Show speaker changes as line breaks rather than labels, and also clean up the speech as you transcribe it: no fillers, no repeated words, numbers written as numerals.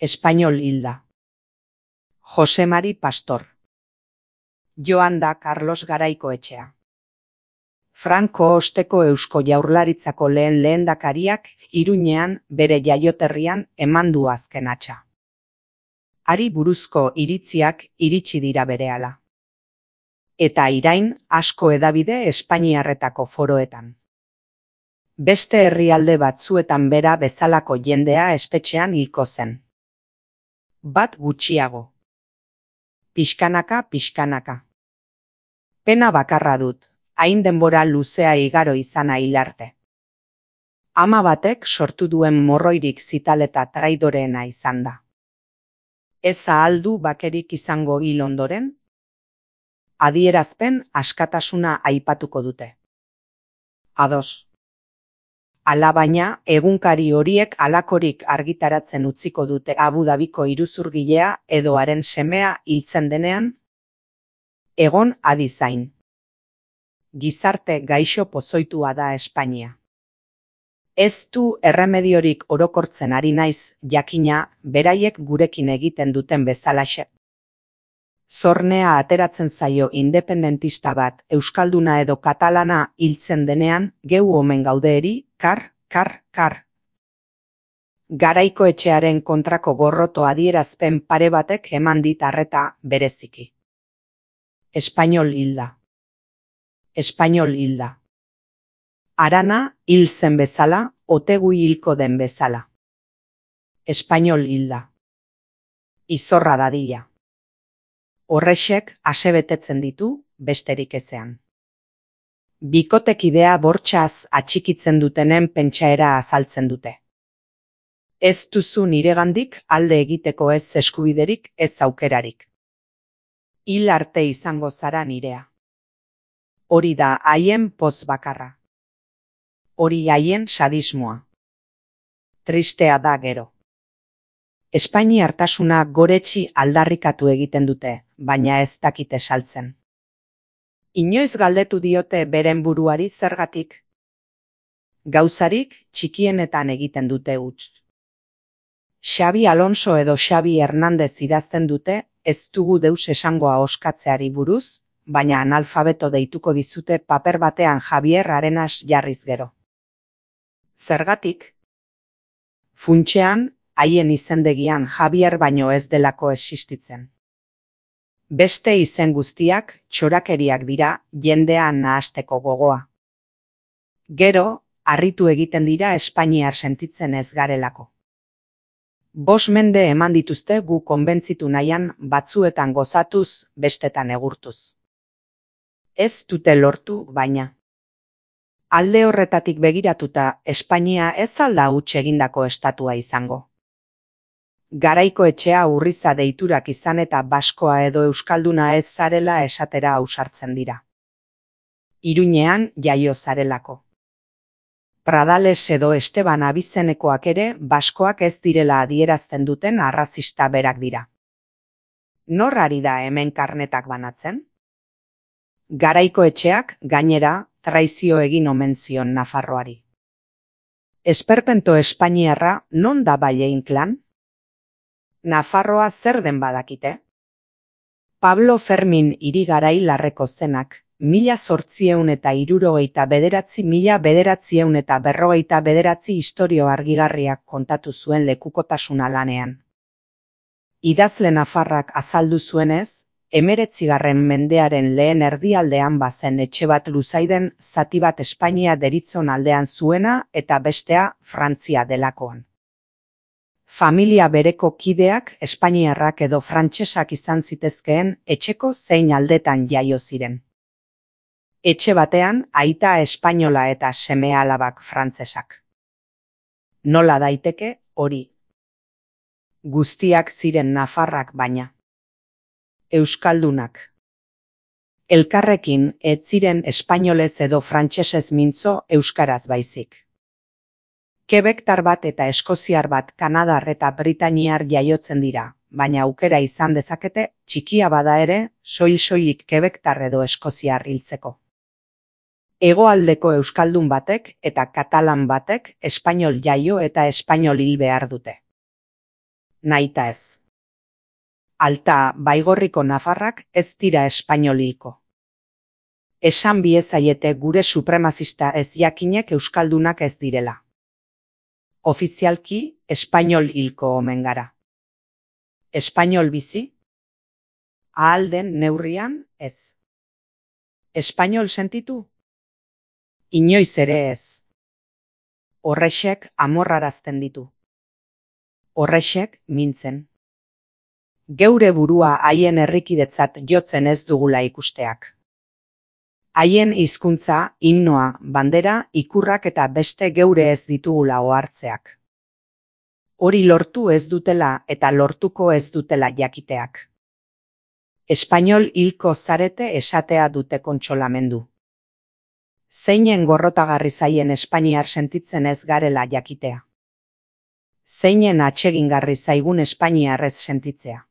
Espainol hilda. Jose Mari Pastor. Joan da Carlos Garaikoetxea. Franco osteko Eusko Jaurlaritzako lehen lehendakariak Iruñean bere jaioterrian eman du azken hatsa. Hari buruzko iritziak iritsi dira berehala. Eta irain asko hedabide espainiarretako foroetan. Beste herrialde batzuetan bera bezalako jendea espetxean hilko zen. Bat gutxiago. Pixkanaka. Pena bakarra dut, hain denbora luzea igaro izana hil arte. Ama batek sortu duen morroirik zitaleta traidoreena izan da. Ez ahal du bakerik izango hil ondoren? Adierazpen askatasuna aipatuko dute. Ados. Alabaina, egunkari horiek halakorik argitaratzen utziko dute Abu Dabiko iruzurgilea edo haren semea hiltzen denean? Egon adi zain. Gizarte gaixo pozoitua da Espainia. Ez du erremediorik orokortzen ari naiz, jakina, beraiek gurekin egiten duten bezalaxe. Zornea ateratzen zaio independentista bat, euskalduna edo katalana hiltzen denean, geu omen gaudeeri, kar. Garaikoetxearen kontrako gorroto adierazpen pare batek eman dit arreta bereziki. Espainol hilda. Arana hil zen bezala, Otegui hilko den bezala. Espainol hilda. Izorra dadila. Horrexek asebetetzen ditu, besterik ezean. Bikotekidea bortxaz atxikitzen dutenen pentsaera azaltzen dute. Ez duzu niregandik alde egiteko ez eskubiderik, ez aukerarik. Hil arte izango zara nirea. Hori da haien poz bakarra. Hori haien sadismoa. Tristea da gero. Espainiartasuna goretsi aldarrikatu egiten dute, baina ez dakite saltzen. Inoiz galdetu diote beren buruari zergatik. Gauzarik txikienetan egiten dute huts. Xabi Alonso edo Xabi Hernandez idazten dute, ez dugu deus esangoa oskatzeari buruz, baina analfabeto deituko dizute paper batean Javier Arenas jarriz gero. Zergatik? Funtsean, haien izendegian Javier baino ez delako existitzen. Beste izen guztiak txorakeriak dira jendea nahasteko gogoa. Gero, harritu egiten dira espainiar sentitzen ez garelako. 5 mende eman dituzte gu konbentzitu nahian batzuetan gozatuz, bestetan egurtuz. Ez dute lortu, baina. Alde horretatik begiratuta, Espainia ez alda huts egindako estatua izango. Garaikoetxea urriza deiturak izan eta baskoa edo euskalduna ez zarela esatera ausartzen dira. Iruñean jaio zarelako. Pradales edo Esteban abizenekoak ere baskoak ez direla adierazten duten arrazista berak dira. Nor ari da hemen karnetak banatzen? Garaikoetxeak, gainera, traizio egin omen zion Nafarroari. Esperpento espainiarra non da Ballein klan? Nafarroa zer den badakite? Pablo Fermin Irigarai Larreko zenak, 1869–1949 istorio argigarriak kontatu zuen lekukotasuna lanean. Idazle nafarrak azaldu zuenez, 19. mendearen lehen erdialdean bazen etxe bat Luzaiden zati bat Espainia deritzon aldean zuena eta bestea Frantzia delakoan. Familia bereko kideak espainiarrak edo frantsesak izan zitezkeen etxeko zein aldetan jaio ziren. Etxe batean aita espainola eta seme-alabak frantsesak. Nola daiteke hori? Guztiak ziren nafarrak baina. Euskaldunak. Elkarrekin ez ziren espainolez edo frantsesez mintzo euskaraz baizik. Quebectar bat eta eskoziar bat kanadar eta britaniar jaiotzen dira, baina aukera izan dezakete, txikia bada ere, soil-soilik Quebectar edo eskoziar hiltzeko. Hegoaldeko euskaldun batek eta katalan batek espainol jaio eta espainol hil behar dute. nahita ez. Alta Baigorriko nafarrak ez dira espainol hilko. Esan biezaiete gure supremazista ez jakinek euskaldunak ez direla. Ofizialki espainol hilko omen gara. Espainol bizi? Ahal den neurrian ez. Espainol sentitu? Inoiz ere ez. Horrexek amorrarazten ditu. Horrexek mintzen. Geure burua haien herrikidetzat jotzen ez dugula ikusteak. Haien hizkuntza, himnoa, bandera, ikurrak eta beste geure ez ditugula ohartzeak. Hori lortu ez dutela eta lortuko ez dutela jakiteak. Espainol hilko zarete esatea dute kontsolamendu. Zeinen gorrotagarri zaien espainiar sentitzen ez garela jakitea. Zeinen atsegingarri zaigun espainiar ez sentitzea.